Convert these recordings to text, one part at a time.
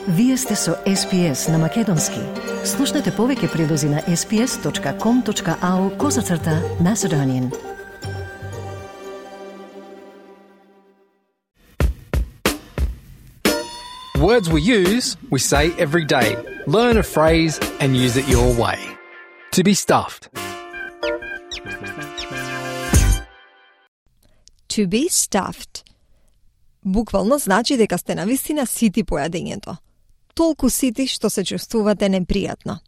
Вие сте со SPS на Македонски. Слушнете повеќе прилози на sps.com.au/Macedonian. Words we use, we say every day. Learn a phrase and use it your way. To be stuffed. To be stuffed. Буквално значи дека сте навистина сити по јадењето. Толку сити што се чувствувате непријатно.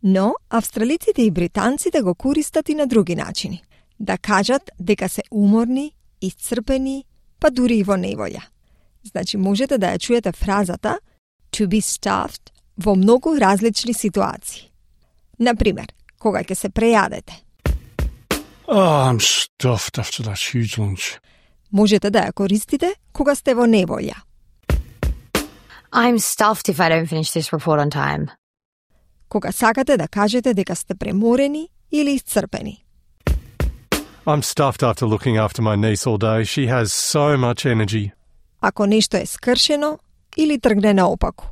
Но австралиците и британците го користат и на други начини. Да кажат дека се уморни, исцрпени, па дури и во неволја. Значи можете да ја чуете фразата to be stuffed во многу различни ситуации. Например, кога ќе се прејадете. Oh, I'm stuffed after that huge lunch. Можете да ја користите кога сте во неволја. I'm stuffed if I don't finish this report on time. Кога сакате да кажете дека сте преморени или исцрпени. I'm stuffed after looking after my niece all day. She has so much energy. Ако нешто е скршено или тргне наопаку.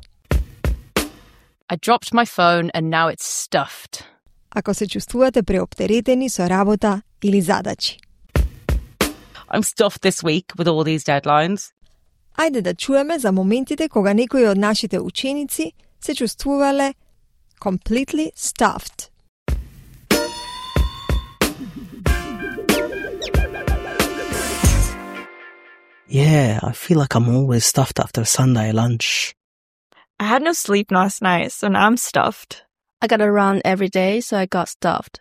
I dropped my phone and now it's stuffed. Ако се чувствувате преоптеретени со работа или задачи. I'm stuffed this week with all these deadlines. Ајде да чуеме за моментите кога некои од нашите ученици се чувствувале completely stuffed. Yeah, I feel like I'm always stuffed after Sunday lunch. I had no sleep last night, so now I'm stuffed. I gotta run every day, so I got stuffed.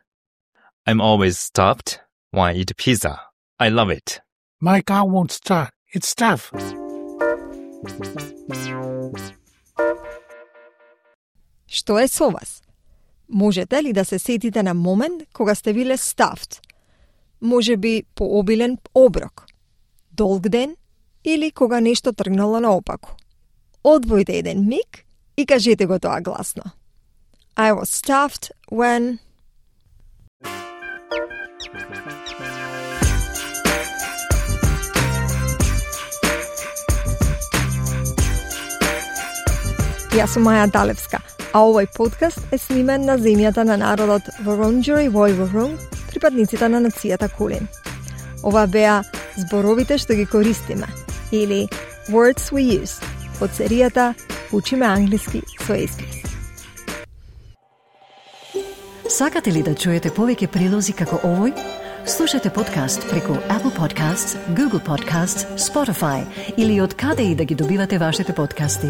I'm always stuffed when I eat pizza. I love it. My car won't start. It's stuffed. Што е со вас? Можете ли да се сетите на момент кога сте биле stuffed? Може би пообилен оброк, долг ден или кога нешто тргнало наопаку. Одвојте еден миг и кажете го тоа гласно. I was stuffed when... Јас сум Маја Далевска, а овој подкаст е снимен на земјата на народот Wurundjeri Woi-wurrung, припадниците на нацијата Кулин. Ова беа зборовите што ги користиме, или Words we use, од серијата Учиме англиски со SBS. Сакате ли да чуете повеќе прилози како овој? Слушате подкаст преку Apple Podcasts, Google Podcasts, Spotify или од каде и да ги добивате вашите подкасти.